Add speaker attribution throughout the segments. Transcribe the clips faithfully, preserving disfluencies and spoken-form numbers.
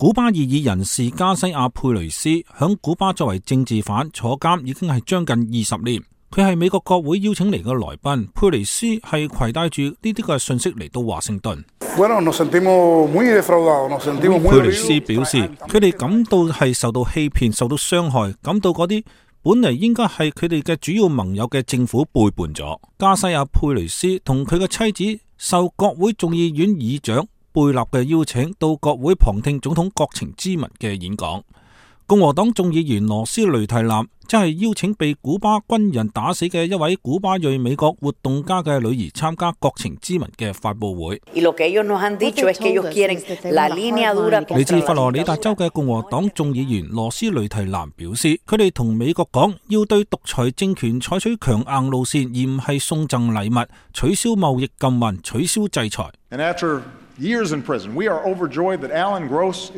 Speaker 1: 古巴異議人士加西亞佩雷斯響古巴作為政治犯坐監已經係將近二十年。佢係美國國會邀請嚟嘅來賓，佩雷斯係攜帶住呢啲嘅信息嚟到華盛頓。佩雷斯表示，佢哋感到係受到欺騙、受到傷害，感到嗰啲本嚟應該係佢哋嘅主要盟友嘅政府背叛咗。加西亞佩雷斯同佢嘅妻子受國會眾議院議長貝納嘅邀請到國會旁聽總統國情咨文嘅演講。共和黨眾議員羅斯雷提南即係邀請被古巴軍人打死嘅一位古巴裔美國活動家嘅女兒參加國情咨文嘅發佈會。嚟自佛羅里達州嘅共和黨眾議員羅斯雷提南表示，佢哋同美國講要對獨裁政權採取強硬路線，而唔係送贈禮物、取消貿易禁運、取消制裁。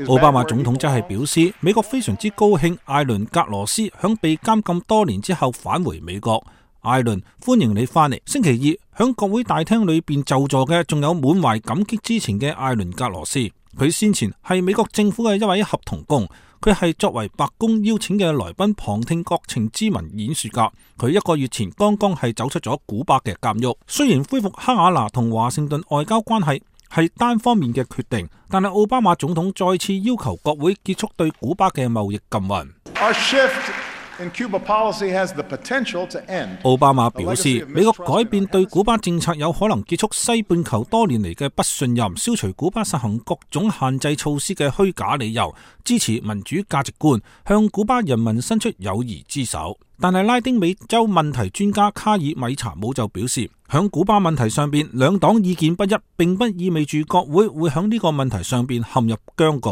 Speaker 1: 奧巴馬總統則係表示，美國非常之高興艾倫格羅斯響被監禁多年之後返回美國。艾倫，歡迎你翻嚟。星期二響國會大廳裏邊就座嘅仲有滿懷感激之情嘅艾倫格羅斯。佢先前係美國政府嘅一位合同工，佢係作為白宮邀請嘅來賓旁聽國情咨文演說家。佢一個月前剛剛係走出咗古巴嘅監獄。雖然恢復哈瓦那同華盛頓外交關係係單方面嘅決定，但係奧巴馬總統再次要求國會結束對古巴嘅貿易禁運。奧巴馬表示，美國改變對古巴政策有可能結束西半球多年嚟嘅不信任，消除古巴實行各種限制措施嘅虛假理由，支持民主價值觀，向古巴人民伸出友誼之手。但係拉丁美洲問題專家卡爾米查姆就表示，響古巴問題上邊兩黨意見不一，並不意味住國會會響呢個問題上邊陷入僵局。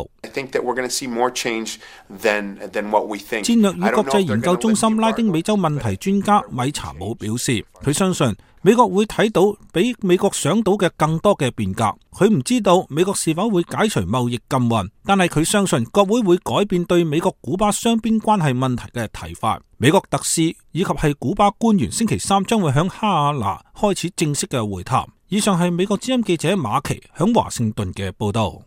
Speaker 1: 戰略與國際研究中心拉丁美洲問題專家米查姆表示，佢相信美國會睇到比美國想到嘅更多嘅變革。佢唔知道美國是否會解除貿易禁運，但係佢相信國會會改變對美國古巴雙邊關係問題嘅睇法。美國特使以及係古巴官員星期三將會響哈瓦那開始正式嘅會談。以上係美國之音記者馬奇響華盛頓嘅報道。